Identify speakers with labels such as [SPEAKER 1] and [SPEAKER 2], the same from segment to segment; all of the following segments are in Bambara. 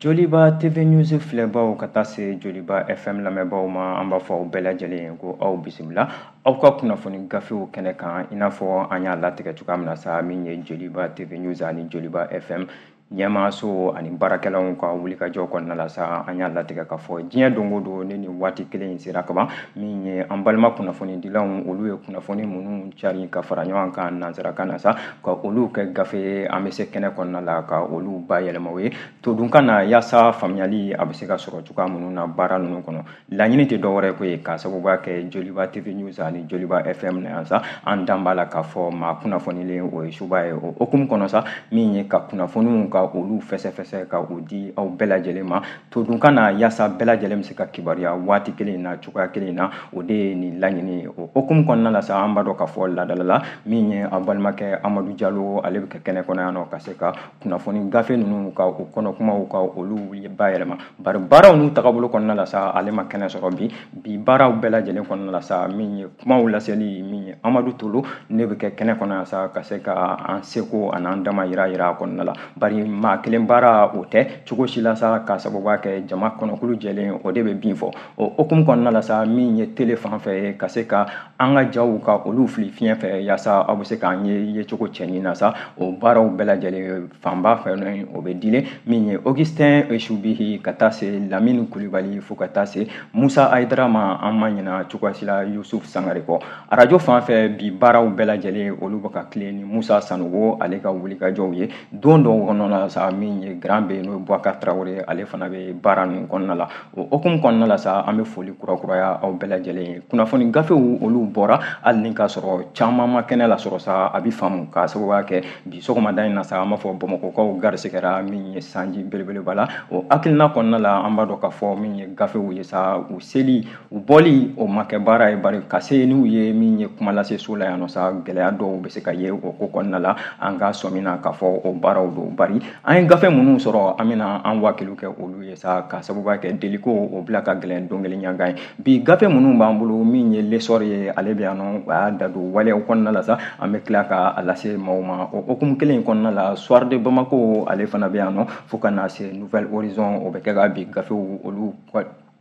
[SPEAKER 1] Joliba TV News filɛbaw ka taa se Joliba FM lamɛnbaw ma, an b'a fɔ aw bɛɛ lajɛlen ko aw bisimila aw ka kunnafoni gafew kɛnɛ kan. I n'a fɔ an y'a latigɛ cogoya min na sa, min ye Joliba TV News ani Joliba FM ɲɛmaaso ani baarakɛlaw ka wulikajɔ kɔnɔna la sa, an y'a latigɛ k'a fɔ diɲɛ don o don ni nin waati kelen in sera kaban, min ye an balima kunnafonidilaw, olu ye kunnafoni minnu cari ka fara ɲɔgɔn kan nansarakan na sa, ka olu kɛ gafe ye, an bɛ se kɛnɛ kɔnɔna la ka olu bayɛlɛma o ye todunkan na, yaasa faamuyali a bɛ se ka sɔrɔ cogoya minnu na baara ninnu kɔnɔ. Laɲini tɛ dɔwɛrɛ ko ye k'a sababuya kɛ Joliba TV News ani Joliba FM na yan sa, an dan b'a la k'a fɔ maa kunnafonilen o ye suba ye. O hukumu kɔnɔ sa, min ye ka kunnafoniw ka olu fɛsɛfɛsɛ ka o di aw bɛɛ lajɛlen ma todunkan na, yaasa bɛɛ lajɛlen bɛ se ka kibaruya waati kelen in na cogoya kelen in na, o de ye nin laɲini ye. O hukumu kɔnɔna la sa, an b'a dɔn k'a fɔ ladala la, min ye an balimakɛ Amadu Jalo, ale bɛ kɛ kɛnɛ kɔnɔ yan nɔ ka se ka kunnafoni gafe ninnu ka o kɔnɔ kumaw ka olu bayɛlɛma. Bari baaraw n'u tagabolo kɔnɔna la sa, ale ma kɛnɛ sɔrɔ bi. Bi baaraw bɛɛ lajɛlen kɔnɔna la sa, min ye kumaw laseli, min ye Amadu Tolo, ne bɛ kɛ kɛnɛ kɔnɔ yan sa ka se ka an seko an'an dama yira yira a kɔnɔna la. Bari maa kelen baara o tɛ cogo si la sa, ka sababuya kɛ jama kɔnɔkulu jɛlen o de bɛ bin fɔ. O hukumu kɔnɔna la sa, min ye tele fan fɛ ye, ka se ka an ka jaw ka olu fili fiɲɛ fɛ, yaasa aw bɛ se k'an ye yecogo cɛɲi na sa, o baaraw bɛɛ lajɛlen fanba fɛ o bɛ dilen min ye Augustin Esubihi ka taa se Lamini Kulibali fo ka taa se Musa Ayidara ma, an ma ɲina cogoya si la Yusuf Sangare kɔ. Arajo fan fɛ bi baaraw bɛɛ lajɛlen olu bɛ ka tilen ni Musa Sanogo ale ka wulikajɔw ye. Don dɔw kɔnɔna la sa, min ye Grand B, n'o ye Boubacar Traoré, ale fana bɛ baara ninnu kɔnɔna la. O hukumu kɔnɔna la sa, an bɛ foli kurakuraya aw bɛɛ lajɛlen ye. Kunnafoni gafew olu bɔra, hali ni k'a sɔrɔ caman ma kɛnɛ lasɔrɔ sa, a bɛ faamu k'a sababuya kɛ bi sɔgɔmada in na sa, an b'a fɔ Bamakɔkaw garisigɛra min ye sanji belebeleba la. O hakilina kɔnɔna la, an b'a dɔn k'a fɔ min ye gafew ye sa, u seli u bɔli o ma kɛ baara ye, bari ka se n'u ye min ye kuma lase so la yan nɔ sa, gɛlɛya dɔw bɛ se ka ye o ko kɔnɔna la. An ka sɔmi na k'a fɔ o baaraw don, bari an ye gafe minnu sɔrɔ, an bɛna an wakilu kɛ olu ye sa, ka sababuya kɛ deliko o bila ka gɛlɛn don kelen ɲangan ye. Bi gafe minnu b'an bolo, min ye L'Essor ye, ale bɛ yan nɔ, a y'a da don waleyaw kɔnɔna la sa, an bɛ tila ka a lase maaw ma. O hukumu kelen in kɔnɔna la, Soir de Bamako ale fana bɛ yan nɔ, fo ka na se Nouvel Horizon, o bɛ kɛ ka bi gafew olu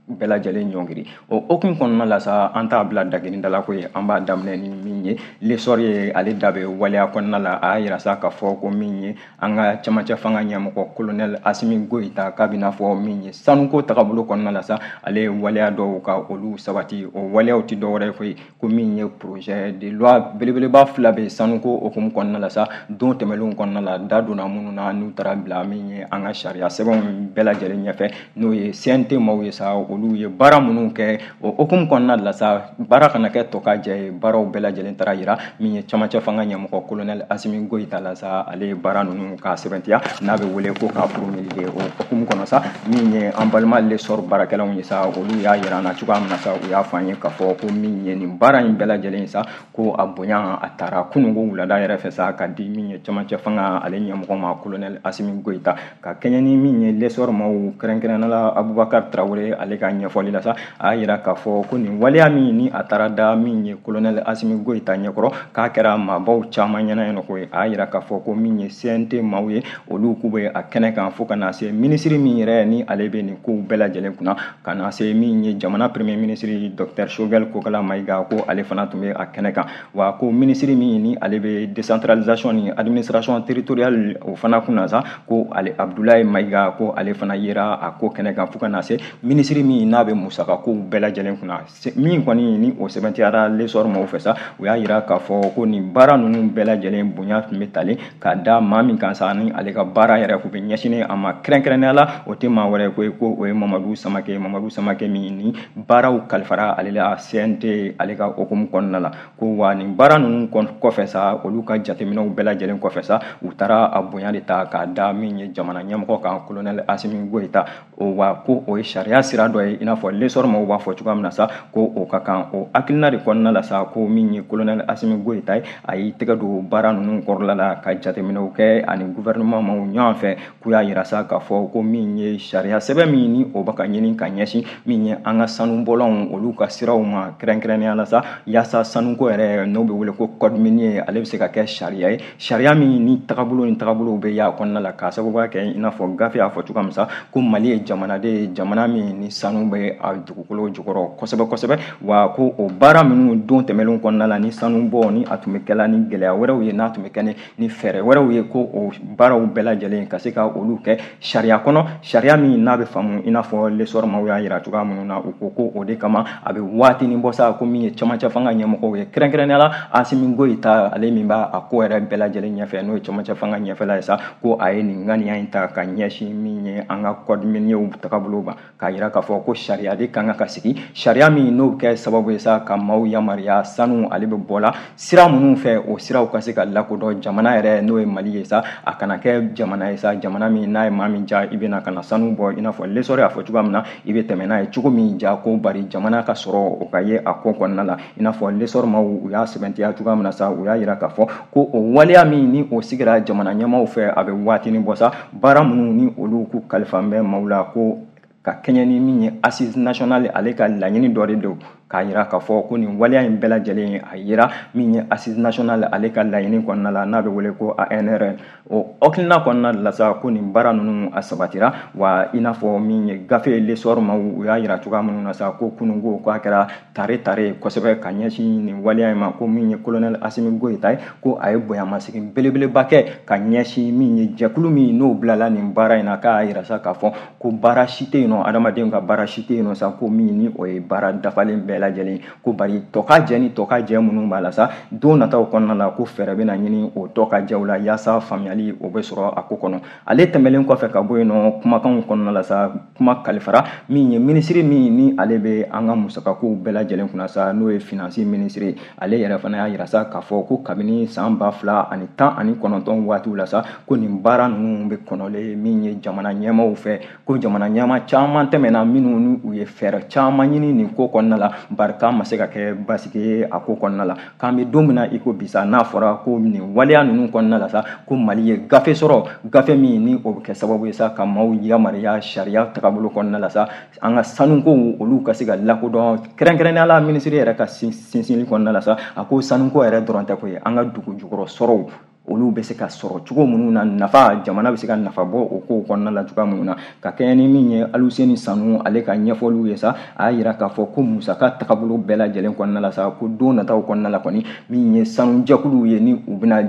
[SPEAKER 1] bɛɛ lajɛlen ɲɔngiri. O hukumu kɔnɔna la sa, an t'a bila dagirinda la ko ye, an b'a daminɛ ni min ye L'Essor ye, ale da bɛ waleya kɔnɔna la. A y'a yira sa k'a fɔ ko min ye an ka camancɛ fanga ɲɛmɔgɔ colonel Asimi Goyita, k'a bɛ n'a fɔ min ye sanuko tagabolo kɔnɔna la sa, ale ye waleya dɔw ka olu sabati. O waleyaw tɛ dɔwɛrɛ ye koyi, ko min ye projet de loi belebeleba fila bɛ sanuko hukumu kɔnɔna la sa, don tɛmɛnlenw kɔnɔna la da donna minnu na, n'u taara bila min ye an ka sariya sɛbɛnw bɛɛ lajɛlen ɲɛfɛ, n'o ye CNT maaw ye sa, olu ye baara minnu kɛ o hukumu kɔnɔna la sa, baara kana kɛ tɔ ka jɛ ye, baaraw bɛɛ lajɛlen taara yira min ye camancɛ fanga ɲɛmɔgɔ colonel Asimi Goyita la sa, ale ye baara ninnu k'a sɛbɛntiya, n'a bɛ wele ko k'a promulguer. O hukumu kɔnɔ sa, min ye an balima L'Essor baarakɛlaw ye sa, olu y'a yira an na cogoya min na sa, u y'a fɔ an ye k'a fɔ ko min ye nin baara in bɛɛ lajɛlen sa, ko a bonya a taara kununko wulada yɛrɛ fɛ sa, ka di min ye camancɛ fanga ale ɲɛmɔgɔ ma colonel Asimi Goyita, ka kɛɲɛ ni min ye L'Essor maaw kɛrɛnkɛrɛnnenya la Abubakar Traoré ale ka ɲɛfɔli la sa, a y'a yira k'a fɔ ko nin waleya min ni a taara da min ye colonel Asimi Goyita ɲɛkɔrɔ, k'a kɛra maabaw caman ɲɛna yen nɔ koyi. A y'a yira k'a fɔ ko min ye CNT maaw ye, olu k'u bɛ a kɛnɛ kan, fo ka na se minisiri min yɛrɛ ni ale bɛ nin kow bɛɛ lajɛlen kunna, ka na se min ye jamana premier ministre docteur Choguel Kokala Maïga, ko ale fana tun bɛ a kɛnɛ kan. Wa ko minisiri min ni ale bɛ décentralisation ni administration territoriale o fana kunna sa, ko ale Abdoulaye Maïga, ko ale fana yera a ko kɛnɛ kan, fo ka na se minisiri min n'a bɛ musaka kow bɛɛ lajɛlen kunna. Min kɔni ni o sɛbɛntiyara L'Essor maaw fɛ sa, u y'a yira k'a fɔ ko nin baara ninnu bɛɛ lajɛlen bonya tun bɛ talen ka da maa min kan sa, ni ale ka baara yɛrɛ kun bɛ ɲɛsinnen a ma kɛrɛnkɛrɛnnenya la, o tɛ maa wɛrɛ ko ye, ko o ye Mamadu Samake. Mamadu Samake min ni baaraw kalifara ale la CNT ale ka hukumu kɔnɔna la, ko wa nin baara ninnu kɔfɛ sa, olu ka jateminɛw bɛɛ lajɛlen kɔfɛ sa, u taara a bonya de ta k'a da min ye jamana ɲɛmɔgɔ kan colonel Asimi Goyita. O wa ko o ye sariya sira dɔ ye. dɔ ye, i n'a fɔ L'Essor maaw b'a fɔ cogoya min na sa, ko o ka kan. O hakilina de kɔnɔna la sa, ko min ye colonel Assimi Goïta ye, a y'i tɛgɛ don baara ninnu kɔrɔla la ka jateminɛw kɛ ani gouvernement maaw ɲɔgɔn fɛ, k'u y'a yira sa k'a fɔ ko min ye sariya sɛbɛn min ni o bɛ ka ɲini ka ɲɛsin min ye an ka sanubɔlanw olu ka siraw ma, kɛrɛnkɛrɛnnenya la sa, yaasa sanuko yɛrɛ n'o bɛ wele ko code minier, ale bɛ se ka kɛ sariya ye, sariya min ni tagabolo ni tagabolow bɛ y'a kɔnɔna la, k'a sababuya kɛ i n'a fɔ gafe y'a fɔ cogoya min sa, ko Mali ye jamanaden ye, jamana min ni sanu bɛ a dugukolo jukɔrɔ kosɛbɛ kosɛbɛ. Wa ko o baara minnu don tɛmɛnlenw kɔnɔna la, ni sanu bɔ ni a tun bɛ kɛla ni gɛlɛya wɛrɛw ye, n'a tun bɛ kɛ ni fɛɛrɛ wɛrɛw ye, ko o baaraw bɛɛ lajɛlen ka se ka olu kɛ sariya kɔnɔ, sariya min n'a bɛ faamu i n'a fɔ L'Essor maaw y'a yira cogoya minnu na. U ko ko o de kama a bɛ waatinin bɔ sa, ko min ye camancɛ fanga ɲɛmɔgɔw ye, kɛrɛnkɛrɛnnenya la Assimi Goïta, ale min b'a a ko yɛrɛ bɛɛ lajɛlen ɲɛfɛ, n'o ye camancɛ fanga ɲɛfɛla ye sa, ko a ye nin ŋaniya in ta ka ɲɛsin min ye an ka code minier tagabolo ma, k'a yira k'a fɔ ko sariya de kan ka sigi, sariya min n'o bɛ kɛ sababu ye sa ka maaw yamaruya sanu ale bɛ bɔ la sira minnu fɛ, o siraw ka se ka lakodɔn jamana yɛrɛ n'o ye Mali ye sa, a kana kɛ jamana ye sa, jamana min n'a ye maa min ja i bɛna ka na sanu bɔ, i n'a fɔ L'Essor y'a fɔ cogoya min na, i bɛ tɛmɛ n'a ye cogo min ja, ko bari jamana ka sɔrɔ o ka ye a ko kɔnɔna la. I n'a fɔ L'Essor maaw u y'a sɛbɛntiya cogoya min na sa, u y'a yira k'a fɔ ko o waleya min ni o sigira jamana ɲɛmaaw fɛ, a bɛ waatinin bɔ sa, baara minnu ni olu k'u kalifa bɛ maaw la, ko ka kɛɲɛ ni min ye assise nationale ale ka laɲini dɔ de don, k'a yira k'a fɔ ko nin waleya in bɛɛ lajɛlen a yira min ye assise nationale ale ka laɲini kɔnɔna la, n'a bɛ wele ko ANR, o hakilina kɔnɔna la sa, ko nin baara ninnu a sabatira. Wa i n'a fɔ min ye gafe L'Essor maaw u y'a yira cogoya minnu na sa, ko kununko k'a kɛra tare tare kosɛbɛ ka ɲɛsin nin waleya in ma, ko min ye colonel Assimi Goïta ye, ko a ye bonyamasegin belebeleba kɛ ka ɲɛsin min ye jɛkulu min n'o bilala nin baara in na, k'a yira sa k'a fɔ ko baara si tɛ yen nɔ, adamadenw ka baara si tɛ yen nɔ sa, ko min ni o ye baara dafalen bɛɛ lajɛlen, ko bari tɔ ka jɛ ni tɔ ka jɛ minnu b'a la sa, don nataw kɔnɔna la, ko fɛɛrɛ bɛna ɲini o tɔ ka jɛw la yaasa faamuyali o bɛ sɔrɔ a ko kɔnɔ. Ale tɛmɛlen kɔfɛ ka bɔ yen nɔ, kumakanw kɔnɔna la sa, kuma kalifara min ye minisiri min ni ale bɛ an ka musakakow bɛɛ lajɛlen kunna sa, n'o ye finance minisiri, ale yɛrɛ fana y'a yira sa k'a fɔ ko kabini san 2019 waatiw la sa, ko nin baara ninnu bɛ kɔnɔlen min ye jamana ɲɛmaaw fɛ, ko jamana ɲɛmaa caman tɛmɛna minnu ni u ye fɛɛrɛ caman ɲini nin ko kɔnɔna la, bari k'a ma se ka kɛ basigi ye a ko kɔnɔna la. K'an bɛ don min na i ko bi sa, n'a fɔra ko nin waleya ninnu kɔnɔna la sa, ko Mali ye gafe sɔrɔ, gafe min ni o bɛ kɛ sababu ye sa ka maaw yamaruya sariya tagabolo kɔnɔna la sa, an ka sanukow olu ka se ka lakodɔn, kɛrɛnkɛrɛnnenya la minisiri yɛrɛ ka sinsinni kɔnɔna la sa, a ko sanuko yɛrɛ dɔrɔn tɛ koyi, an ka dugu jukɔrɔ sɔrɔw olu bɛ se ka sɔrɔ cogo minnu na, nafa jamana bɛ se ka nafa bɔ o kow kɔnɔna la cogoya minnu na. Ka kɛɲɛ ni min ye Aluseni Sanu ale ka ɲɛfɔliw ye sa, a y'a yira k'a fɔ ko musaka tagabolo bɛɛ lajɛlen kɔnɔna la sa, ko don nataw kɔnɔna la kɔni, min ye sanujɛkuluw ye ni u bɛna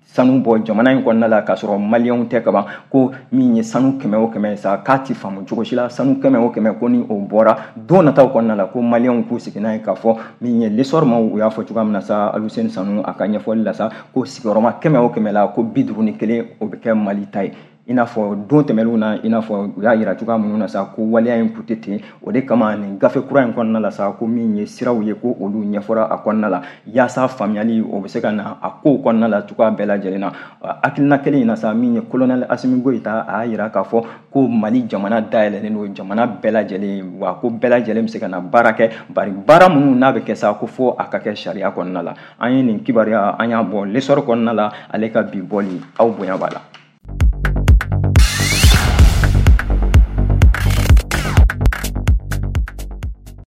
[SPEAKER 1] sanu bɔ jamana in kɔnɔna la k'a sɔrɔ maliyɛnw tɛ kaban, ko min ye sanu 100 o 100 sa, k'a ti faamu cogo si la, sanu 100 o 100 ko ni o bɔra don nataw kɔnɔna la, ko maliyɛnw k'u sigi n'a ye k'a fɔ min ye L'Essor maaw u y'a fɔ cogoya min na sa, Aluseni Sanu a ka ɲɛfɔli la sa, ko sigiyɔrɔma 100 o 100 la, ko 51 o bɛ kɛ Mali ta ye. I n'a fɔ don tɛmɛnlenw na, i n'a fɔ u y'a yira cogoya minnu na sa, ko waleya in kun tɛ ten, o de kama nin gafe kura in kɔnɔna la sa, ko min ye siraw ye, ko olu ɲɛfɔra a kɔnɔna la yaasa faamuyali o bɛ se ka na a kow kɔnɔna la cogoya bɛɛ lajɛlen na. Hakilina kelen in na sa, min ye colonel Assimi Goïta, a y'a yira k'a fɔ ko Mali jamana dayɛlɛlen don jamana bɛɛ lajɛlen, wa ko bɛɛ lajɛlen bɛ se ka na baara kɛ, bari baara minnu n'a bɛ kɛ sa, ko fo a ka kɛ sariya kɔnɔna la. An ye nin kibaruya an y'a bɔ L'Essor kɔnɔna la, ale ka bi bɔli, aw bonya b'a la.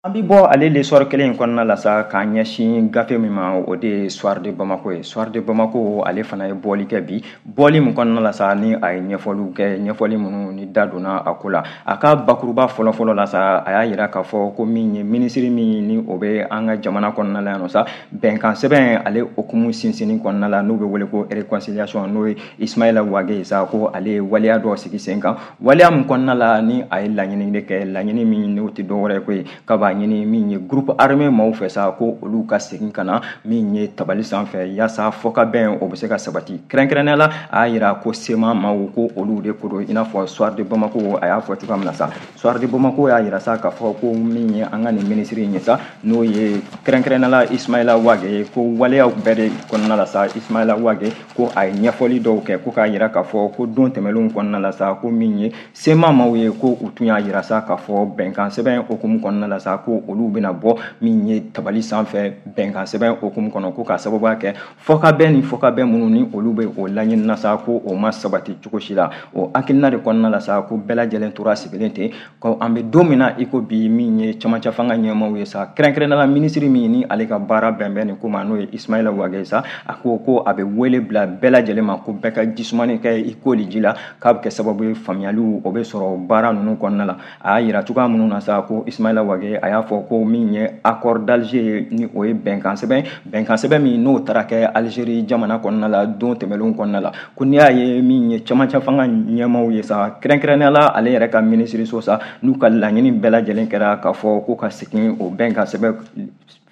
[SPEAKER 1] An bi bɔ ale L'Essor kelen in kɔnɔna la sa k'a ɲɛsin gafe min ma, o de ye Soir de Bamako ye. Soir de Bamako ale fana ye bɔli kɛ bi, bɔli min kɔnɔna la sa ni a ye ɲɛfɔliw kɛ, ɲɛfɔli minnu ni da donna a ko la. A ka bakuruba fɔlɔfɔlɔ la sa, a y'a yira k'a fɔ ko min ye minisiri min ni o bɛ an ka jamana kɔnɔna la yan nɔ sa, bɛnkan sɛbɛn ale hukumu sinsinni kɔnɔna la, n'o bɛ wele ko réconciliation, n'o ye Ismaïla Wagué ye sa, ko ale ye waleya dɔ sigi sen kan, waleya min kɔnɔna la ni a ye laɲini de kɛ, laɲini min n'o tɛ dɔwɛrɛ ye koyi, k'a b'a ɲini ɲini min ye groupe armé maaw fɛ sa, ko olu ka segin ka na min ye tabali sanfɛ, yaasa fɔkabɛn o bɛ se ka sabati. Kɛrɛnkɛrɛnnenya la, a y'a yira ko CMA maaw, ko olu de ko don, i n'a fɔ Soir de Bamako a y'a fɔ cogoya min na sa. Soir de Bamako y'a yira sa k'a fɔ ko min ye an ka nin minisiri in ye sa, n'o ye kɛrɛnkɛrɛnnenya la Ismaïla Wagué, ko waleyaw bɛɛ de kɔnɔna la sa, Ismaïla Wagué ko a ye ɲɛfɔli dɔw kɛ, ko k'a yira k'a fɔ ko don tɛmɛnlenw kɔnɔna la sa, ko min ye CMA maaw ye, ko u tun y'a yira sa k'a fɔ bɛnkan sɛbɛn hukumu kɔnɔna la sa, ko olu bɛna bɔ min ye tabali sanfɛ bɛnkan sɛbɛn hukumu kɔnɔ, ko k'a sababuya kɛ fɔkabɛn ni fɔkabɛn minnu ni olu bɛ o laɲini na sa, ko o ma sabati cogo si la. O hakilina de kɔnɔna la sa, ko bɛɛ lajɛlen tora sigilen ten, ko an bɛ don min na i ko bi, min ye cɛmancɛ fanga ɲɛmaaw ye sa, kɛrɛnkɛrɛnnenya la minisiri min ni ale ka baara bɛn bɛ nin ko ma, n'o ye Ismaïla Wagué sa, a ko ko a bɛ wele bila bɛɛ lajɛlen ma, ko bɛɛ ka jisumani kɛ i koli ji la, k'a bɛ kɛ sababu ye faamuyaliw o bɛ sɔrɔ baara ninnu kɔnɔna la. A y'a yira cogoya minnu na sa, ko Ismaïla Wagué a y'a fɔ ko min ye accord d'Alger ye, ni o ye bɛnkan sɛbɛn, bɛnkan sɛbɛn min n'o taara kɛ Algérie jamana kɔnɔna la don tɛmɛnlenw kɔnɔna la, ko n'i y'a ye min ye cɛmancɛ fanga ɲɛmaaw ye sa, kɛrɛnkɛrɛnnenya la ale yɛrɛ ka minisiriso sa, n'u ka laɲini bɛɛ lajɛlen kɛra k'a fɔ ko ka segin o bɛnkan sɛbɛn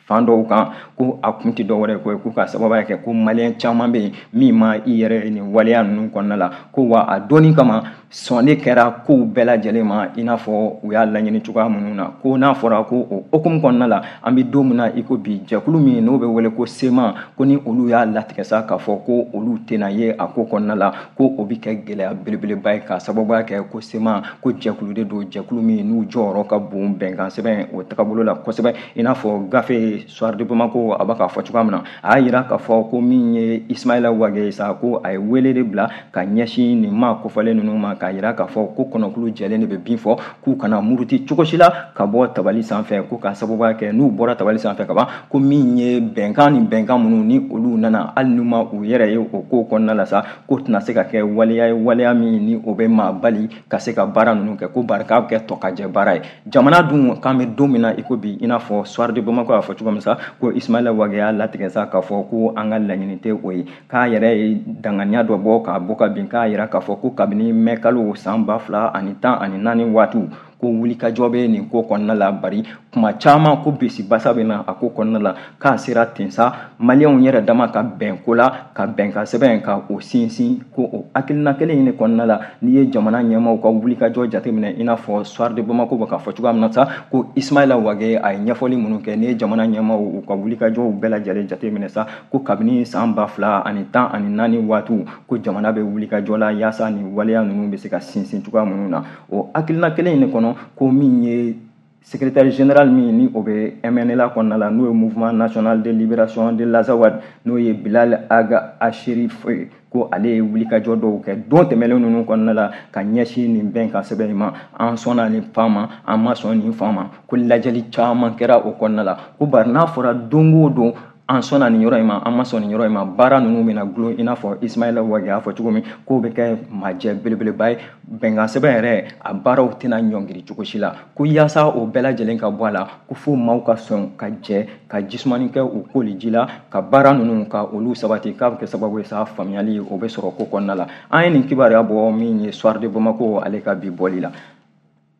[SPEAKER 1] fan dɔw kan, ko a kun tɛ dɔwɛrɛ ko ye ko ka sababuya kɛ ko maliyɛn caman bɛ yen min ma i yɛrɛ nin waleya ninnu kɔnɔna la, ko wa a donni kama sɔnni kɛra kow bɛɛ lajɛlen ma i n'a fɔ u y'a laɲini cogoya minnu na. Ko n'a fɔra ko o hukumu kɔnɔna la, an bɛ don min na i ko bi, jɛkulu min n'o bɛ wele ko CMA, ko ni olu y'a latigɛ sa k'a fɔ ko olu tɛna ye a ko kɔnɔna la, ko o bɛ kɛ gɛlɛya belebeleba ye, k'a sababuya kɛ ko CMA ko jɛkulu de don, jɛkulu min n'u jɔyɔrɔ ka bon bɛnkan sɛbɛn o tagabolo la kosɛbɛ, i n'a fɔ gafe Soir de Bamako a b'a k'a fɔ cogoya min na. A y'a yira k'a fɔ ko min ye Ismaïla Wagué sa, ko a ye wele de bila ka ɲɛsin nin maa kofɔlen ninnu ma, k'a yira k'a fɔ ko kɔnɔkulu jɛlen de bɛ bin fɔ, k'u kana muruti cogo si la ka bɔ tabali sanfɛ, ko k'a sababuya kɛ n'u bɔra tabali sanfɛ ka ban, ko min ye bɛnkan ni bɛnkan minnu ni olu nana, hali n'u ma u yɛrɛ ye o ko kɔnɔna la sa, ko tɛna se ka kɛ waleya ye, waleya min ni o bɛ maa bali ka se ka baara ninnu kɛ, ko bari k'a bɛ kɛ tɔkajɛ baara ye. Jamana dun k'an bɛ don min na i ko bi, i n'a fɔ Soir de Bamako y'a fɔ cogo min sa, ko Ismaïla Wagué y'a latigɛ sa k'a fɔ ko an ka laɲini tɛ o ye, k'a yɛrɛ ye danganiya dɔ bɔ k'a bɔ ka bin, k'a yira k'a fɔ ko kabini mɛ kalo san 2014 waatiw, ko wulikajɔ bɛ nin ko kɔnɔna la, bari kuma caman ko bisibasa bɛ na a ko kɔnɔna la, k'a sera ten sa maliyɛnw yɛrɛ dama ka bɛn ko la, ka bɛnkan sɛbɛn ka o sinsin, ko o hakilina kelen in de kɔnɔna la, n'i ye jamana ɲɛmaaw ka wulikajɔ jateminɛ, i n'a fɔ Soir de Bamako bɛ k'a fɔ cogoya min na sa, ko Ismaïla Wagué a ye ɲɛfɔli minnu kɛ, n'i ye jamana ɲɛmaaw u ka wulikajɔw bɛɛ lajɛlen jateminɛ sa, ko kabini san 2014 waatiw, ko jamana bɛ wulikajɔ la yaasa nin waleya ninnu bɛ se ka sinsin cogoya minnu na. O hakilina kelen in de kɔnɔ, ko min ye secrétaire général min ni o bɛ MNLA kɔnɔna la, n'o ye Mouvement national de libération de l'Azawad, n'o ye Bilal Ag Acherif, ko ale ye wulikajɔ dɔw kɛ don tɛmɛnen ninnu kɔnɔna la ka ɲɛsin nin bɛnkan sɛbɛn in ma, an sɔnna nin fan ma, an ma sɔn nin fan ma, ko lajɛli caman kɛra o kɔnɔna la, ko bari n'a fɔra don o don an sɔnna nin yɔrɔ in ma, an ma sɔn nin yɔrɔ in ma, baara ninnu bɛna gulon, i n'a fɔ Ismaïla Wagué y'a fɔ cogo min, k'o bɛ kɛ majɛ belebeleba ye, bɛnkan sɛbɛn yɛrɛ a baaraw tɛna ɲɔngiri cogo si la, ko yaasa o bɛɛ lajɛlen ka bɔ a la, ko fo maaw ka sɔn ka jɛ ka jisumani kɛ u koli ji la, ka baara ninnu ka olu sabati, k'a bɛ kɛ sababu ye sa faamuyali o bɛ sɔrɔ ko kɔnɔna la. An ye nin kibaruya bɔ min ye Soir de Bamako ale ka bi bɔli la.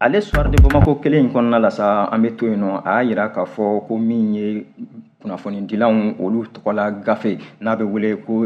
[SPEAKER 1] Ale Soir de Bamako kelen in kɔnɔna la sa, an bɛ to yen nɔ, a y'a yira k'a fɔ ko min ye kunnafonidilanw olu tɔgɔla gafe n'a bɛ wele ko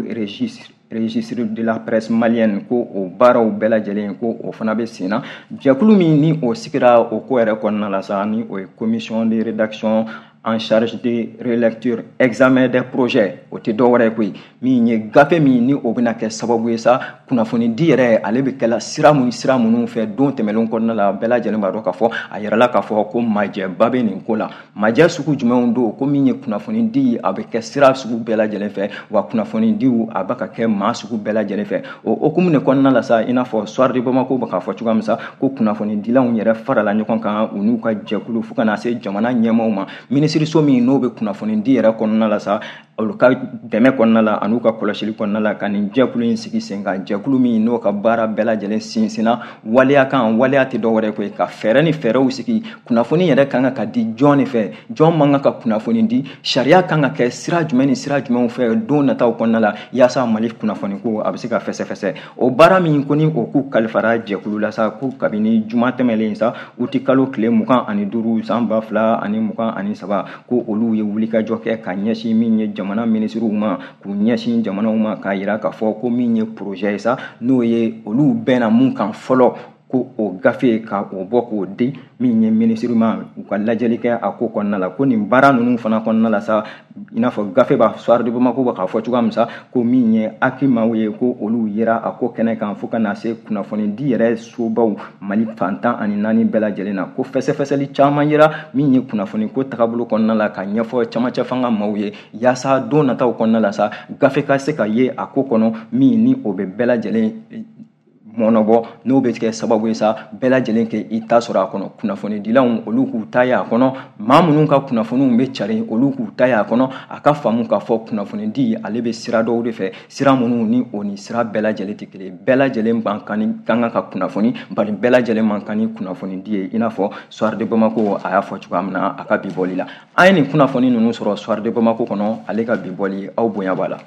[SPEAKER 1] registre de la presse malienne, ko o baaraw bɛɛ lajɛlen ko o fana bɛ sen na. Jɛkulu min ni o sigira o ko yɛrɛ kɔnɔna la sa, ni o ye commission de rédaction en charge de relecture examen des projets, o tɛ dɔwɛrɛ ye koyi, min ye gafe min ni o bɛna kɛ sababu ye sa kunnafonidi yɛrɛ ale bɛ kɛla sira mun sira minnu fɛ don tɛmɛnlenw kɔnɔna la. Bɛɛ lajɛlen b'a dɔn k'a fɔ a yirala k'a fɔ ko majɛba bɛ nin ko la. Majɛ sugu jumɛnw don? Ko min ye kunnafonidi a bɛ kɛ sira sugu bɛɛ lajɛlen fɛ, wa kunnafonidiw a bɛ ka kɛ maa sugu bɛɛ lajɛlen fɛ. O hukumu de kɔnɔna la sa, i n'a fɔ Soir de Bamako bɛ k'a fɔ cogoya min sa, ko kunnafonidilanw yɛrɛ farala ɲɔgɔn kan u n'u ka jɛkulu fo ka na se jamana ɲɛmaaw ma, minisiriso min n'o bɛ kunnafonidi yɛrɛ kɔnɔna la sa. Olu ka dɛmɛ kɔnɔna la an'u ka kɔlɔsili kɔnɔna la ka nin jɛkulu in sigi sen kan, jɛkulu min n'o ka baara bɛɛ lajɛlen sinsinna waleya kan. Waleya tɛ dɔwɛrɛ koyi, ka fɛɛrɛ ni fɛɛrɛw sigi. Kunnafoni yɛrɛ kan ka di jɔn de fɛ, jɔn man kan ka kunnafoni di, sariya kan ka kɛ sira jumɛn ni sira jumɛnw fɛ don nataw kɔnɔna la, yaasa Mali kunnafoni ko a bɛ se ka fɛsɛfɛsɛ. O baara min ko ni o k'u kalifara jɛkulu la sa, ko kabini juma tɛmɛlen sa, uti kalo tile 25 san 2023, ko olu ye wulikajɔ kɛ ka ɲɛsin min ye jamana minisiriw ma, k'u ɲɛsin jamanaw ma, k'a yira k'a fɔ ko min ye projet ye sa, n'o ye olu bɛnna mun kan fɔlɔ, ko o gafe ka o bɔ k'o di min ye minisiri ma, u ka lajɛli kɛ a ko kɔnɔna la. Ko nin baara ninnu fana kɔnɔna la sa, i n'a fɔ gafe b'a Soir de Bamako bɛ k'a fɔ cogoya min sa, ko min ye akimaw ye, ko olu yera a ko kɛnɛ kan fo ka na se kunnafoni di yɛrɛ sobaw Mali fan 14 bɛɛ lajɛlen na. Ko fɛsɛfɛsɛli caman yera min ye kunnafoni ko tagabolo kɔnɔna la, ka ɲɛfɔ camancɛ fanga maaw ye, yaasa don nataw kɔnɔna la sa, gafe ka se ka ye a ko kɔnɔ min ni o bɛ bɛɛ lajɛlen mɔnɔbɔ, n'o bɛ kɛ sababu ye sa bɛɛ lajɛlen kɛ i ta sɔrɔ a kɔnɔ. Kunnafonidilaw olu k'u ta ye a kɔnɔ, maa minnu ka kunnafoniw bɛ cari olu k'u ta ye a kɔnɔ. A ka faamu k'a fɔ kunnafonidi ale bɛ sira dɔw de fɛ, sira minnu ni o ni sira bɛɛ lajɛlen tɛ kelen. Bɛɛ lajɛlen man kan ni kan ka kunnafoni, bari bɛɛ lajɛlen man kan ni kunnafonidi ye, i n'a fɔ Soir de Bamako a y'a fɔ cogoya min na a ka bi bɔli la. An ye nin kunnafoni ninnu sɔrɔ Soir de Bamako kɔnɔ, ale ka bi bɔli, aw bonya b'a la.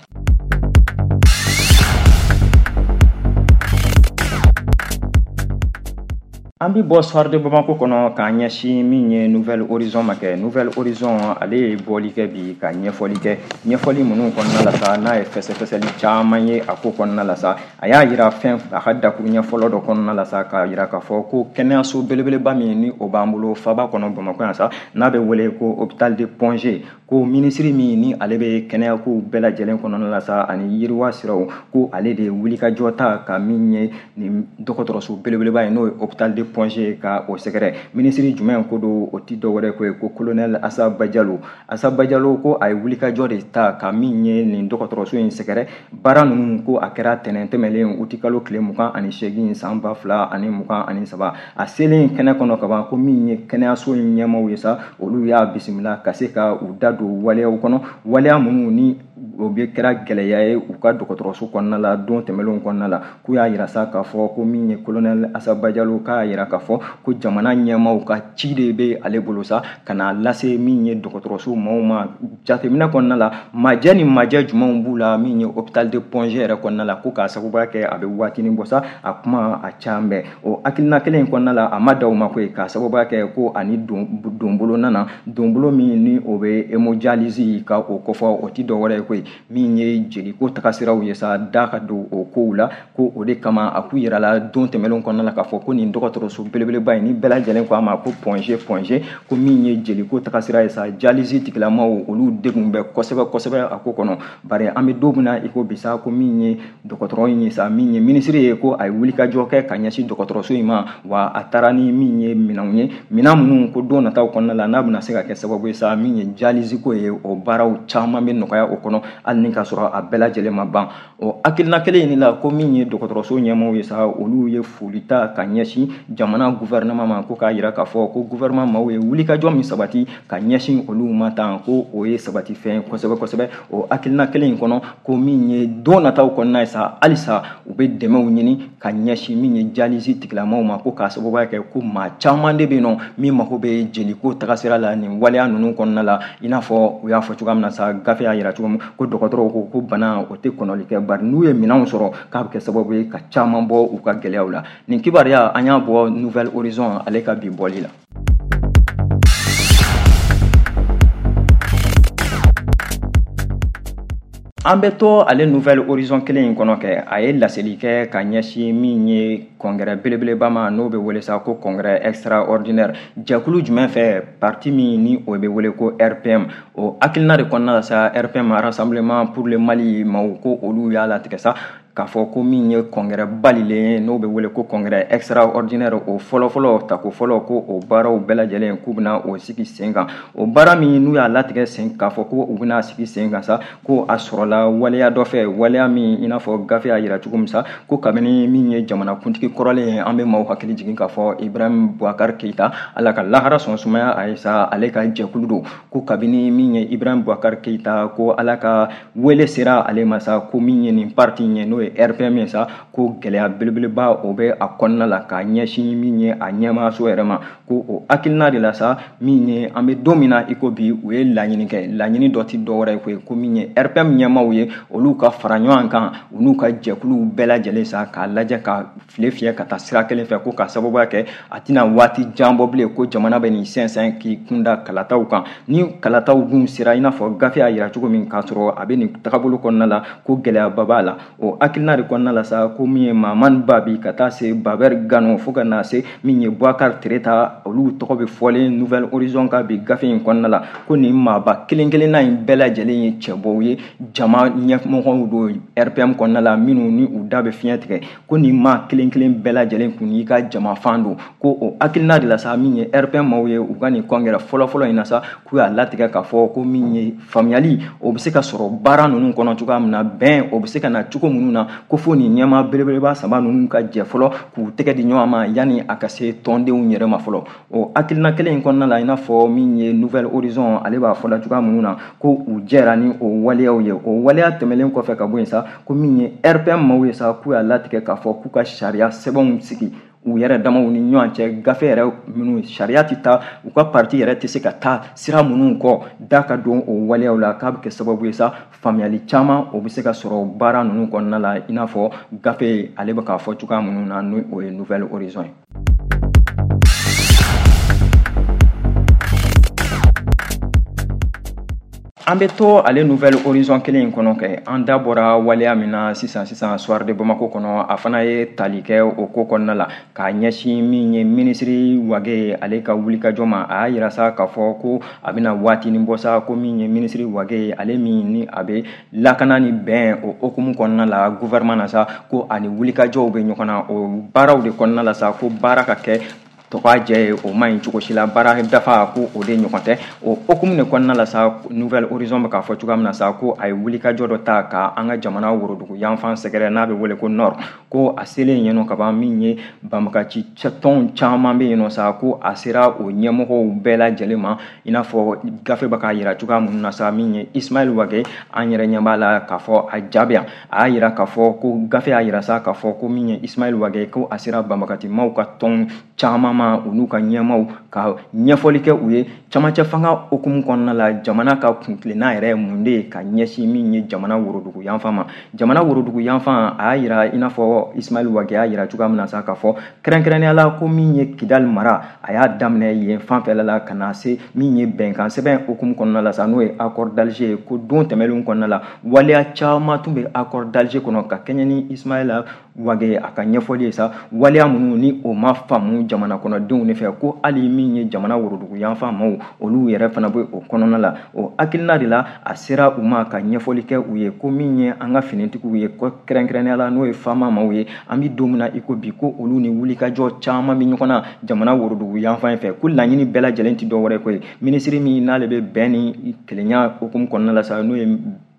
[SPEAKER 1] An bɛ bɔ Soir de Bamako kɔnɔ k'an ɲɛsin min ye Nouvel Horizon ma kɛ. Nouvel Horizon ale ye bɔli kɛ bi ka ɲɛfɔli kɛ, ɲɛfɔli minnu kɔnɔna la sa, n'a ye fɛsɛfɛsɛli caman ye a ko kɔnɔna la sa. A y'a yira fɛn a ka dakuruɲɛ fɔlɔ dɔ kɔnɔna la sa, k'a yira k'a fɔ ko kɛnɛyaso belebeleba min ni o b'an bolo faba kɔnɔ Bamakɔ yan sa, n'a bɛ wele ko hôpital de Point G, ko minisiri min ni ale bɛ kɛnɛyakow bɛɛ lajɛlen kɔnɔna la sa ani yiriwa siraw, ko ale de ye wulikajɔ ta ka min ye nin dɔgɔtɔrɔso belebeleba ye, n'o ye hôpital de Point G, ka o sɛgɛrɛ. Minisiri jumɛn ko don, o ti dɔwɛrɛ ko ye ko colonel Assa Badialo. Assa Badialo ko a ye wulikajɔ de ta ka min ye nin dɔgɔtɔrɔso in sɛgɛrɛ. Baara ninnu ko a kɛra tɛnɛn tɛmɛlen uti kalo tile 28 san 2023. A selen kɛnɛ kɔnɔ kaban, ko min ye kɛnɛyaso in ɲɛmaaw ye sa, olu y'a bisimila ka se ka u da don waleyaw kɔnɔ, waleya minnu ni o bɛ kɛra gɛlɛya ye u ka dɔgɔtɔrɔso kɔnɔna la don tɛmɛnlenw kɔnɔna la. K'u y'a yira sa k'a fɔ ko min ye colonel Assa Badialo, k'a yira k'a fɔ ko jamana ɲɛmaaw ka ci de bɛ ale bolo sa ka n'a lase min ye dɔgɔtɔrɔso maaw ma. Jateminɛ kɔnɔna la, majɛ ni majɛ jumɛnw b'u la min ye hôpital de Point G yɛrɛ kɔnɔna la, ko k'a sababuya kɛ a bɛ waatinin bɔ sa, a kuma a can bɛɛ. O hakilina kelen in kɔnɔna la, a ma da o ma koyi, k'a sababuya kɛ ko ani donbolo nana, donbolo min ni o bɛ hémodialyse ka o kɔfɔ, o ti dɔwɛrɛ ye koyi, min ye jeliko tagasiraw ye sa, da ka don o kow la. Ko o de kama a k'u yira la don tɛmɛnlenw kɔnɔna la k'a fɔ ko nin dɔgɔtɔrɔso belebeleba in ni bɛɛ lajɛlen ko a ma ko Point G, Point G, ko min ye jeliko tagasira ye sa, dialyse tigilamaw olu degun bɛ kosɛbɛ kosɛbɛ a ko kɔnɔ. Bari an bɛ don min na i ko bi sa, ko min ye dɔgɔtɔrɔ in ye sa, min ye minisiri ye, ko a ye wulikajɔ kɛ ka ɲɛsin dɔgɔtɔrɔso in ma, wa a taara ni min ye minɛnw ye, minɛn minnu ko don nataw kɔnɔna la n'a bɛna se ka kɛ sababu ye sa, min ye dialyse ko ye, o baaraw caman bɛ nɔgɔya o kɔnɔ, hali ni k'a sɔrɔ a bɛɛ lajɛlen ma ban. O hakilina kelen in de la, ko min ye dɔgɔtɔrɔso ɲɛmaaw ye sa, olu ye foli ta ka ɲɛsin jamana gouvernement ma, ko k'a yira k'a fɔ ko gouvernement maaw ye wulikajɔ min sabati ka ɲɛsin olu ma tan, ko o ye sabati fɛn ye kosɛbɛ kosɛbɛ. O hakilina kelen in kɔnɔ, ko min ye don nataw kɔnɔna ye sa, halisa u bɛ dɛmɛw ɲini ka ɲɛsin min ye dialyse tigilamaw ma, ko k'a sababuya kɛ ko maa caman de bɛ yen nɔ min mako bɛ jeliko tagasira la nin waleya ninnu kɔnɔna la. I n'a fɔ u y'a fɔ cogoya min na sa, gafe y'a yira cogo min ko dɔgɔtɔrɔw ko ko bana o tɛ kɔnɔli kɛ, bari n'u ye minɛnw sɔrɔ k'a bɛ kɛ sababu ye ka caman bɔ u ka gɛlɛyaw la. Nin kibaruya an y'a bɔ Nouvel Horizon ale ka bi bɔli la. An bɛ to ale Nouvel Horizon kelen in kɔnɔ kɛ, a ye laseli kɛ ka ɲɛsin min ye congrès belebeleba ma, n'o bɛ wele sa ko congrès extraordinaire. Jɛkulu jumɛn fɛ, parti min ni o bɛ wele ko RPM, o hakilina de kɔnɔna la sa, RPM, Rassemblement pour le Mali maaw, ko olu y'a latigɛ sa k'a fɔ ko min ye congrès balilen ye, n'o bɛ wele ko congrès extraordinaire, o fɔlɔfɔlɔ tako fɔlɔ, ko o baaraw bɛɛ lajɛlen k'u bɛna o sigi sen kan. O baara min n'u y'a latigɛ sen k'a fɔ ko u bɛna sigi sen kan sa, ko a sɔrɔla waleya dɔ fɛ, waleya min i n'a fɔ gafe y'a yira cogo min sa, ko kabini min ye jamanakuntigi kɔrɔlen ye, an bɛ maaw hakili jigin k'a fɔ Ibrahim Boubacar Keïta, Ala ka lahara sɔn sumaya a ye sa, ale ka jɛkulu don, ko kabini min ye Ibrahim Boubacar Keïta, ko Ala ka wele sera ale ma sa, ko min ye nin parti ye, n'o ye RPM ye sa, ko gɛlɛya belebeleba o bɛ a kɔnɔna la k'a ɲɛsin min ye a ɲɛmaaso yɛrɛ ma. Ko o hakilina de la sa, min ye an bɛ don min na i ko bi, u ye laɲini kɛ. Laɲini dɔ tɛ dɔwɛrɛ ye koyi, ko min ye RPM ɲɛmaaw ye, olu ka fara ɲɔgɔn kan, u n'u ka jɛkuluw bɛɛ lajɛlen sa, k'a lajɛ ka file fiyɛ ka taa sira kelen fɛ, ko ka sababuya kɛ a tɛna waati jan bɔ bilen ko jamana bɛ nin sɛnsɛn k'i kunda kalataw kan. Ni kalataw dun sera, i n'a fɔ gafe y'a yira cogo min, k'a sɔrɔ a bɛ nin tagabolo kɔnɔna la, ko gɛlɛyaba b'a la. O hakilina de kɔnɔna la sa, ko min ye Mahamani Babi ka taa se Babɛri Gano fo ka na se min ye Boubacar Tereta, olu tɔgɔ bɛ fɔlen Nouvel Horizon ka bi gafe in kɔnɔna la, ko nin maaba kelen kelenna in bɛɛ lajɛlen ye cɛbɔw ye, jama ɲɛmɔgɔw don RPM kɔnɔna la, minnu ni u da bɛ fiɲɛ tigɛ, ko nin maa kelen kelen bɛɛ lajɛlen kun y'i ka jama fan don. Ko o hakilina de la sa, min ye RPM maaw ye, u ka nin congrès fɔlɔfɔlɔ in na sa, k'u y'a latigɛ k'a fɔ ko min ye faamuyali o bɛ se ka sɔrɔ baara ninnu kɔnɔ cogoya min na, bɛn o bɛ se ka na cogo minnu na, ko fo nin ɲɛmaa belebeleba saba ninnu ka jɛ fɔlɔ k'u tɛgɛ di ɲɔgɔn ma yanni a ka se tɔndenw yɛrɛ ma fɔlɔ. O hakilina kelen in kɔnɔna la, i n'a fɔ min ye Nouvel Horizon ale b'a fɔ la cogoya minnu na, ko u jɛra ni o waleyaw ye. O waleya tɛmɛlen kɔfɛ ka bɔ yen sa, ko min ye RPM maaw ye sa, k'u y'a latigɛ k'a fɔ k'u ka sariya sɛbɛnw sigi u yɛrɛ damaw ni ɲɔgɔn cɛ, gafe yɛrɛ minnu sariya tɛ taa, u ka parti yɛrɛ tɛ se ka taa sira minnu kɔ, da ka don o waleyaw la, k'a bɛ kɛ sababu ye sa faamuyali caman o bɛ se ka sɔrɔ baara ninnu kɔnɔna la, i n'a fɔ gafe ale bɛ k'a fɔ cogoya minnu na, n'o o ye Nouvel Horizon ye. An bɛ to ale Nouvel Horizon kelen in kɔnɔ kɛ, an da bɔra waleya min na sisan sisan Soir de Bamako kɔnɔ, a fana ye tali kɛ o ko kɔnɔna la k'a ɲɛsin min ye minisiri Wage ale ka wulikajɔ ma. A y'a yira sa k'a fɔ ko a bɛna waatinin bɔ sa, ko min ye minisiri Wage ale min ni a bɛ lakana ni bɛn o hokumu kɔnɔna la gouvernement na sa, ko ani wulikajɔw bɛ ɲɔgɔn na o baaraw de kɔnɔna la sa, ko baara ka kɛ tɔgɔ jɛ ye, o man ɲi cogo si la, baara dafa ko o de ɲɔgɔn tɛ. O hokumu de kɔnɔna la sa, Nouvel Horizon bɛ k'a fɔ cogoya min na sa, ko a ye wulikajɔ dɔ ta ka an ka jamana worodugu yanfan sɛgɛrɛ, n'a bɛ wele ko Nord, ko a selen yen nɔ kaban, min ye banbagaci tɔn caman bɛ yen nɔ sa, ko a sera o ɲɛmɔgɔw bɛɛ lajɛlen ma, i n'a fɔ gafe bɛ k'a yira cogoya minnu na sa, min ye Ismaël Wage, an yɛrɛ ɲɛ b'a la k'a fɔ a jaabi yan, a y'a yira k'a fɔ ko gafe y'a yira sa k'a fɔ ko min ye Ismaël Wage, ko a sera banbagaci maaw ka tɔn caman ma, u n'u ka ɲɛmaw ka ɲɛfɔli kɛ u ye camancɛ fanga hokumu kɔnɔna la, jamana ka kuntilenna yɛrɛ mun de ye ka ɲɛsin min ye jamana worodugu yanfan ma. Jamana worodugu yanfan, a y'a yira i n'a fɔ Ismaël Wage y'a yira cogoya min na sa, k'a fɔ kɛrɛnkɛrɛnnenya la ko min ye Kidali mara, a y'a daminɛ yen fanfɛla la ka na se min ye bɛnkan sɛbɛn hokumu kɔnɔna la sa, n'o ye accord d'Alger ye, ko don tɛmɛnlenw kɔnɔna la waleya caman tun bɛ accord d'Alger kɔnɔ ka kɛɲɛ ni Ismaël Wage a ka ɲɛfɔli ye sa, waleya minnu ni o ma faamu jamana kɔnɔdenw de fɛ, ko hali min ye jamana worodugu yanfan maaw, olu yɛrɛ fana bɛ o kɔnɔna la. O hakilina de la a sera u ma ka ɲɛfɔli kɛ u ye, ko min ye an ka finitigiw ye, ko kɛrɛnkɛrɛnnenya la n'o ye faama maaw ye, an bɛ don min na i ko bi, ko olu ni wulikajɔ caman bɛ ɲɔgɔn na jamana worodugu yanfan fɛ, ko laɲini bɛɛ lajɛlen tɛ dɔwɛrɛ ko ye minisiri min n'ale bɛ bɛn ni kelenya hokumu kɔnɔna la sa, n'o ye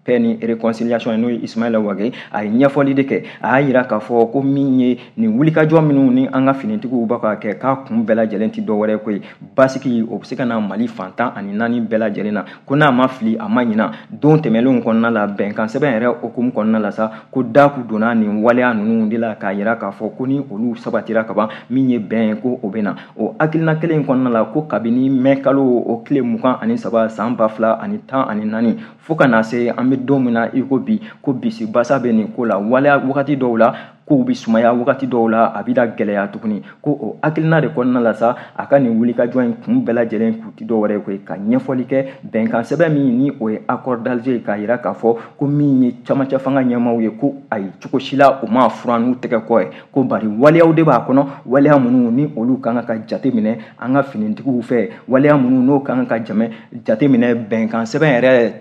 [SPEAKER 1] paix ni réconciliation n'o ye Ismaël Wage, a ye ɲɛfɔli de kɛ, a y'a yira k'a fɔ ko min ye nin wulikajɔ minnu ni an ka finitigiw b'a ka kɛ, k'a kun bɛɛ lajɛlen tɛ dɔwɛrɛ ko ye basigi o bɛ se ka na Mali fan 14 bɛɛ lajɛlen na, ko n'a ma fili a ma ɲina don tɛmɛnlenw kɔnɔna la bɛnkan sɛbɛn yɛrɛ hokumu kɔnɔna la sa, ko da kun donna nin waleya ninnu de la k'a yira k'a fɔ ko ni olu sabatira kaban, min ye bɛn ye ko o bɛ na. O hakilina kelen in kɔnɔna la, ko kabini mɛ kalo o tile 23 san 2014 fo ka na se an bɛ don min na i ko bi, ko bisi basa bɛ nin ko la waleya wagati dɔw la. kow bɛ sumaya, wagati dɔw la a bɛ da gɛlɛya tuguni. Ko o hakilina de kɔnɔna la sa, a ka nin wulikajɔ in kun bɛɛ lajɛlen kun ti dɔwɛrɛ ye koyi, ka ɲɛfɔli kɛ bɛnkan sɛbɛn min ni o ye accord d'Alger, k'a yira k'a fɔ ko min ye camancɛ fanga ɲɛmaaw ye, ko ayi, cogo si la u m'a furan n'u tɛgɛ kɔ ye, ko bari waleyaw de b'a kɔnɔ, waleya minnu ni olu kan ka jateminɛ an ka finitigiw fɛ, waleya minnu n'o kan ka jateminɛ bɛnkan sɛbɛn yɛrɛ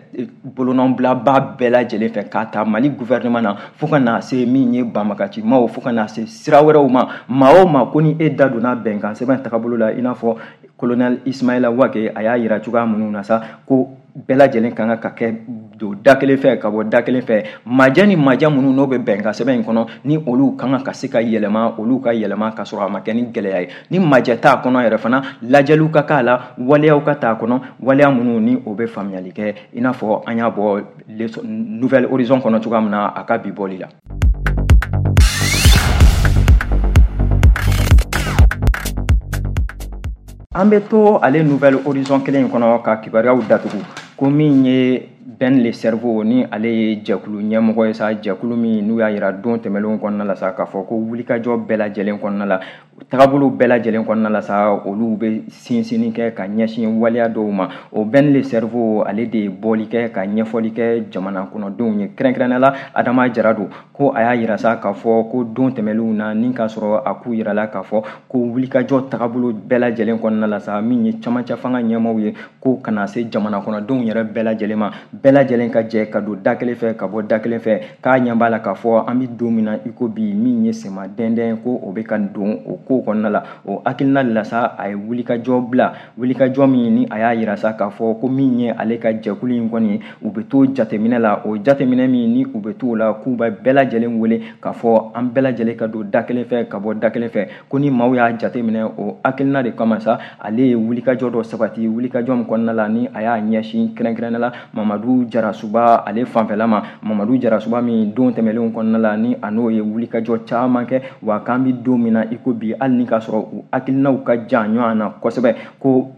[SPEAKER 1] bolonɔbilaba bɛɛ lajɛlen fɛ, k'a ta Mali gouvernement na fo ka na se min ye banbagacimaw, fo ka na se sira wɛrɛw ma. Maa o maa ko ni e da donna bɛnkan sɛbɛn tagabolo la, i n'a fɔ colonel Ismaïla Wagué a y'a yira cogoya minnu na sa, ko bɛɛ lajɛlen kan ka kɛ don da kelen fɛ ka bɔ da kelen fɛ. Majɛ ni majɛ minnu n'o bɛ bɛnkan sɛbɛn in kɔnɔ, ni olu kan ka se ka yɛlɛma, olu ka yɛlɛma ka sɔrɔ a ma kɛ ni gɛlɛya ye. Ni majɛ t'a kɔnɔ yɛrɛ fana, lajɛliw ka k'a la, waleyaw ka t'a kɔnɔ, waleya minnu ni o bɛ faamuyali kɛ, i n'a fɔ an y'a bɔ Nouvel Horizon kɔnɔ cogoya min na a ka bi bɔli la. An bɛ to ale Nouvel Horizon kelen in kɔnɔ ka kibaruyaw datugu, ko min ye Ben le Cerveau ni ale ye jɛkulu ɲɛmɔgɔ ye sa, jɛkulu min n'u y'a yira don tɛmɛnlenw kɔnɔna la sa k'a fɔ ko wulikajɔ bɛɛ lajɛlen kɔnɔna la, tagabolo bɛɛ lajɛlen kɔnɔna la sa, olu bɛ sinsinni kɛ ka ɲɛsin waleya dɔw ma. O Ben le Cerveau ale de ye bɔli kɛ ka ɲɛfɔli kɛ jamana kɔnɔdenw ye, kɛrɛnkɛrɛnnenya la Adama Jara don, ko a y'a yira sa k'a fɔ ko don tɛmɛnlenw na ni k'a sɔrɔ a k'u yira la k'a fɔ ko wulikajɔ tagabolo bɛɛ lajɛlen kɔnɔna la sa, min ye camancɛ fanga ɲɛmaaw ye, ko kana se jamana kɔnɔdenw yɛrɛ bɛɛ lajɛlen ma, bɛɛ lajɛlen ka jɛ ka don da kelen fɛ ka bɔ da kelen fɛ. K'a ɲɛ b'a la k'a fɔ an bɛ don min na i ko bi, min ye sema dɛndɛn ko o bɛ ka don o ko kɔnɔna la. O hakilina de la sa, a ye wulikajɔ bila, wulikajɔ min ni a y'a yira sa k'a fɔ ko min ye ale ka jɛkulu in kɔni, u bɛ to jateminɛ la, o jateminɛ min ni u bɛ to o la, k'u bɛ bɛɛ lajɛlen wele k'a fɔ an bɛɛ lajɛlen ka don da kelen fɛ ka bɔ da kelen fɛ. Ko ni maaw y'a jateminɛ, o hakilina de kama sa, ale ye wulikajɔ dɔ sabati, wulikajɔ min kɔnɔna la ni a y'a ɲɛsin kɛrɛnkɛrɛnnenya la Mamadu Jarasuba ale fanfɛla ma. Mamadu Jarasuba min don tɛmɛnlenw kɔnɔna la ni a n'o ye wulikajɔ caman kɛ, wa k'an bɛ don min na i ko bi, hali ni k'a sɔrɔ u hakilinaw ka jan ɲɔgɔn na kosɛbɛ, ko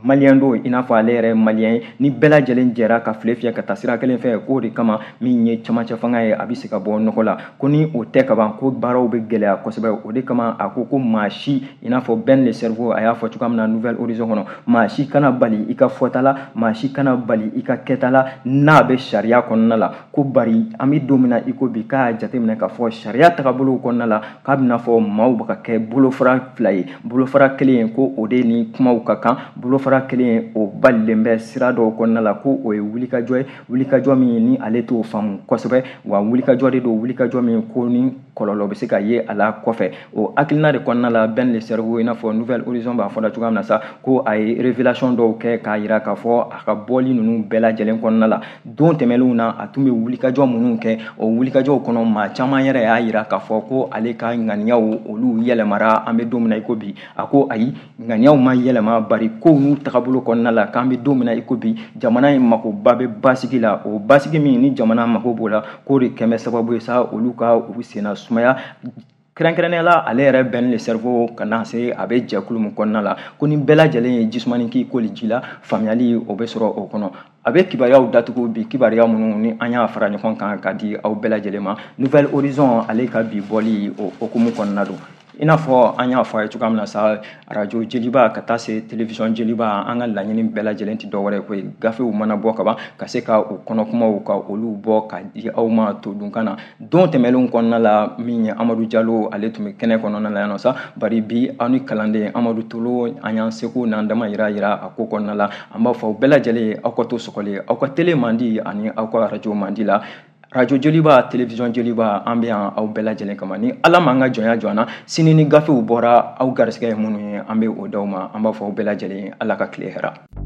[SPEAKER 1] maliyɛn don i n'a fɔ ale yɛrɛ maliyɛn ye, ni bɛɛ lajɛlen jɛra ka file fiyɛ ka taa sira kelen fɛ, k'o de kama min ye camancɛ fanga ye a bɛ se ka bɔ nɔgɔ la, ko ni o tɛ kaban ko baaraw bɛ gɛlɛya kosɛbɛ. O de kama a ko ko maa si, i n'a fɔ Ben le Cerveau a y'a fɔ cogoya min na Nouvel Horizon kɔnɔ, maa si kana bali i ka fɔta la, maa si kana bali i ka kɛta la n'a bɛ sariya kɔnɔna la, ko bari an bɛ don min na i ko bi, k'a jateminɛ k'a fɔ sariya tagabolow kɔnɔna la k'a bɛna fɔ maaw bɛ ka kɛ bolofara fila ye, bolofara kelen ko o de ni kumaw ka kan, bolofara kelen o balilen bɛ sira dɔw kɔnɔna la, ko o ye wulikajɔ ye, wulikajɔ min ni ale t'o faamu kosɛbɛ, wa wulikajɔ de don, wulikajɔ min ko ni kɔlɔlɔ bɛ se ka ye a la kɔfɛ. O hakilina de kɔnɔna la Ben le Cerveau, i n'a fɔ Nouvel Horizon b'a fɔ la cogoya min na sa, ko a ye révélation dɔw kɛ k'a yira k'a fɔ a ka bɔli ninnu bɛɛ lajɛlen kɔnɔna la don tɛmɛnlenw na a tun bɛ wulikajɔ minnu kɛ, o wulikajɔw kɔnɔ maa caman yɛrɛ y'a yira k'a fɔ ko ale ka ŋaniyaw olu yɛlɛmara an bɛ don min na i ko bi. A ko ayi, ŋaniyaw ma yɛlɛma, bari kow n'u tagabolo kɔnɔna la k'an bɛ don min na i ko bi, jamana in makoba bɛ basigi la, o basigi min ni jamana mako b'o la, k'o de kɛn bɛ sababu ye sa olu ka u senna sumaya, kɛrɛnkɛrɛnnenya la ale yɛrɛ Ben le Cerveau ka na se a bɛ jɛkulu min kɔnɔna la, ko ni bɛɛ lajɛlen ye jisumani k'i koli ji la, faamuyali o bɛ sɔrɔ o kɔnɔ. A bɛ kibaruyaw datugu bi, kibaruya minnu ni an y'a fara ɲɔgɔn kan ka di aw bɛɛ lajɛlen ma. Nouvel Horizon ale ka bi bɔli o hokumu kɔnɔna don. I n'a fɔ an y'a fɔ a ye cogoya min na sa, arajo jeliba ka taa se télévision jeliba, an ka laɲini bɛɛ lajɛlen tɛ dɔwɛrɛ ye koyi, gafew mana bɔ kaban ka se ka u kɔnɔkumaw ka olu bɔ ka di aw ma todunkan na. Don tɛmɛnlenw kɔnɔna la, min ye Amadu Jalo ale tun bɛ kɛnɛ kɔnɔna la yan nɔ sa, bari bi aw ni kalanden Amadu Tolo an y'an seko n'an dama yira a ko kɔnɔna la. An b'a fɔ aw bɛɛ lajɛlen ye, aw ka to sɔgɔli, aw ka télé man di ani aw ka arajo man di la. Radio Joliba, télévision Joliba, an bɛ yan aw bɛɛ lajɛlen kama. Ni Ala m'an ka jɔnya jɔ an na, sini ni gafew bɔra aw garisɛgɛ ye minnu ye, an bɛ o d'aw ma. An b'a fɔ aw bɛɛ lajɛlen ye, Ala ka tile hɛrɛ.